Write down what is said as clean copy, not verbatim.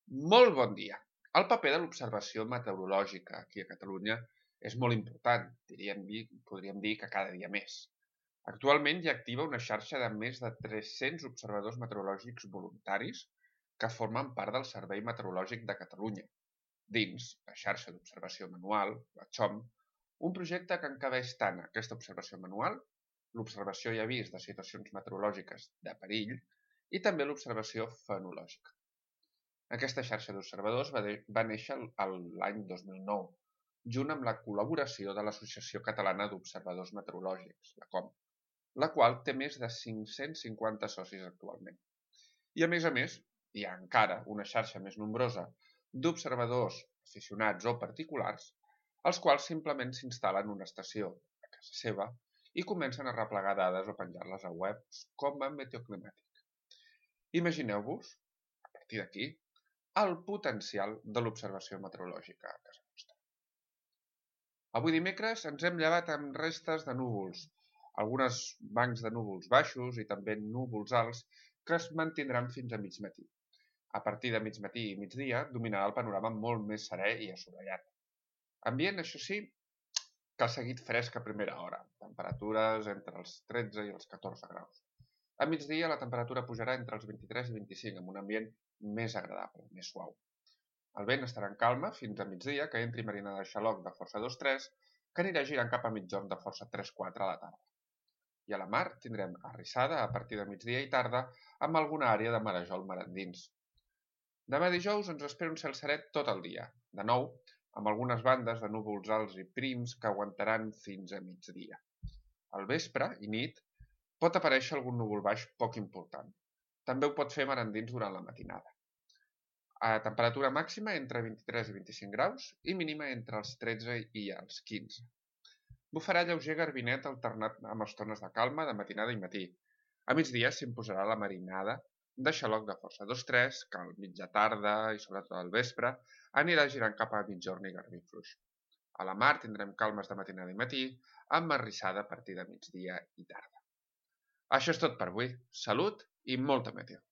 Molt bon dia. El paper de l'observació meteorològica aquí a Catalunya és molt important, podríem dir que cada dia més. Actualment hi activa una xarxa de més de 300 observadors meteorològics voluntaris que formen part del Servei Meteorològic de Catalunya, dins la xarxa d'observació manual, la XOM, un projecte que encabeix tant aquesta observació manual, l'observació i avís de situacions meteorològiques de perill i també l'observació fenològica. Aquesta xarxa d'observadors va néixer l'any 2009, junt amb la col·laboració de l'Associació Catalana d'Observadors Meteorològics, la COM, la qual té més de 550 socis actualment. I a més, hi ha encara una xarxa més nombrosa d'observadors aficionats o particulars, els quals simplement s'instal·len una estació a casa seva i comencen a replegar dades o penjar-les a webs com a Meteoclimàtic. Imagineu-vos, a partir d'aquí, el potencial de l'observació meteorològica a casa nostra. Avui dimecres ens hem llevat amb restes de núvols, algunes bancs de núvols baixos i també núvols alts que es mantindran fins a mig matí. A partir de mig matí i migdia dominarà el panorama molt més serè i assolellat. Ambient, això sí, que ha seguit fresc a primera hora, temperatures entre els 13 i els 14 graus. A migdia la temperatura pujarà entre els 23 i 25 amb un ambient més agradable, més suau. El vent estarà en calma fins a migdia, que entri marinada de xaloc de força 2-3, que anirà girant cap a mitjorn de força 3-4 a la tarda. I a la mar tindrem arrissada a partir de migdia i tarda amb alguna àrea de marejol mar endins. Demà dijous ens espera un cel serè tot el dia, de nou, amb algunes bandes de núvols alts i prims que aguantaran fins a migdia. Al vespre i nit pot aparèixer algun núvol baix poc important. També ho pot fer mar endins durant la matinada. A temperatura màxima entre 23 i 25 graus i mínima entre els 13 i els 15. Bufarà lleuger garbinet alternat amb estones de calma de matinada i matí. A migdia s'imposarà la marinada de xaloc de força 2-3, que al mitja tarda i sobretot al vespre anirà girant cap a mitjorn i garbí fluix. A la mar tindrem calmes de matinada i matí, amb arrissada a partir de migdia i tarda. Això és tot per avui. Salut i molta meteo!